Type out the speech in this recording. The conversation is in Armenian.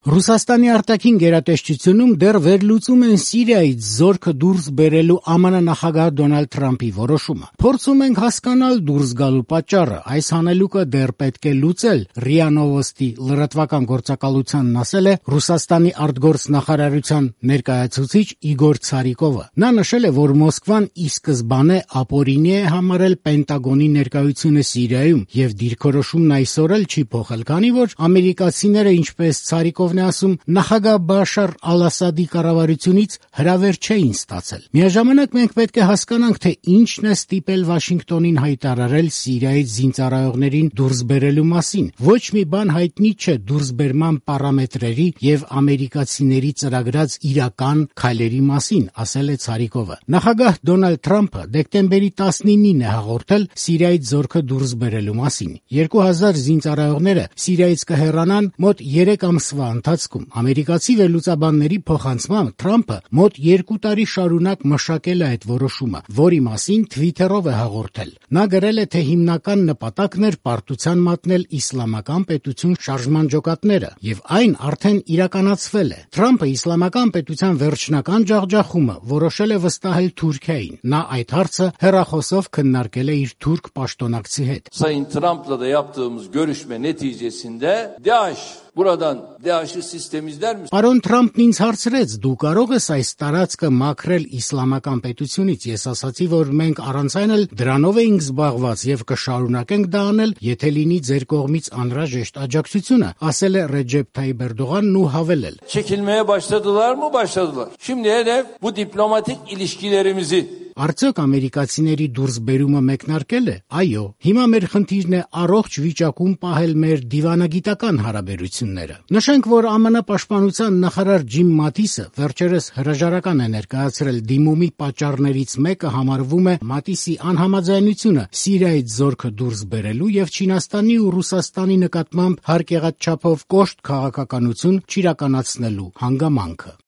Ռուսաստանի արտաքին գերատեսչությունում դեռ վերլուծում են Սիրիայից զորքը դուրս բերելու ԱՄՆ նախագահ Դոնալդ Թրամփի որոշումը։ Փորձում ենք հասկանալ դուրս գալու պատճառը։ Այս հանելուկը դեռ պետք է լուծել, ՌԻԱ Նովոստի լրատվական գործակալությանն ասել է Ռուսաստանի արտգործնախարարության ներկայացուցիչ Իգոր Ցարիկովը։ Նա նշել է, որ Մոսկվան ի սկզբանե ապօրինի է համարել Պենտագոնի ներկայությունը Սիրիայում եւ դիրքորոշումն այսօր էլ չի փոխել, քանի որ ամերիկացիները, ինչպես Ցարիկովն է ասում, նախագահ Բաշար Ալ-Ասադի կառավարությունից հրավեր չէին ստացել։ Միաժամանակ մենք պետք է հասկանանք, թե ինչն է ստիպել Վաշինգտոնին հայտարարել Սիրիայից զինծառայողներին դուրս բերելու մասին։ Ոչ մի բան հայտնի չէ դուրսբերման պարամետրերի եւ ամերիկացիների ծրագրած իրական քայլերի մասին, ասել է Ցարիկովը։ Նախագահ Դոնալդ Թրամփը դեկտեմբերի 19-ին է հաղորդել Սիրիայից զորքը դուրս բերելու մասին։ 2000 զինծառայողները Սիրիայից կհեռանան մոտ 3 ամսվա ընթացքում։ Ամերիկացի վերլուծաբանների փոխանցմամբ Թրամփը մոտ 2 տարի շարունակ մշակել է այդ որոշումը, որի մասին Twitter-ով է հաղորդել։ Նա գրել է, թե հիմնական նպատակն էր պարտության մատնել իսլամական պետություն շարժման ջոկատները, եւ այն արդեն իրականացվել է։ Թրամփը իսլամական պետության վերջնական ջախջախումը որոշել է վստահել Թուրքիային։ Նա այդ հարցը հեռախոսով քննարկել է իր թուրք պաշտոնակցի հետ։ Sayın Trump'la da yaptığımız görüşme neticesinde DAEŞ'i sistem izler misin? Պարոն Թրամփն ինձ հարցրեց. դու կարող ես այս տարածքը մաքրել իսլամական պետությունից։ Ես ասացի, որ մենք առանց այն էլ դրանով էինք զբաղված եւ կշարունակենք դա անել, եթե լինի ձեր կողմից անհրաժեշտ աջակցությունը, ասել է Ռեջեփ Թայիփ Էրդողանն ու հավելել. Çekilmeye başladılar mı? Başladılar. Şimdi hedef bu diplomatik ilişkilerimizi Արդյոք ամերիկացիների դուրսբերումը մեկնարկել է։ Այո, հիմա մեր խնդիրն է առողջ վիճակում պահել մեր դիվանագիտական հարաբերությունները։ Նշենք, որ ԱՄՆ պաշտպանության նախարար Ջիմ Մաթիսը վերջերս հրաժարական է ներկայացրել դիմումի պատճառներից մեկը համարվում է Մատիսի անհամաձայնությունը Սիրիայից զորքը դուրս բերելու եւ Չինաստանի ու Ռուսաստանի նկատմամբ հարկեղած չափով կոշտ քաղաքականություն չիրականացնելու հանգամանքը։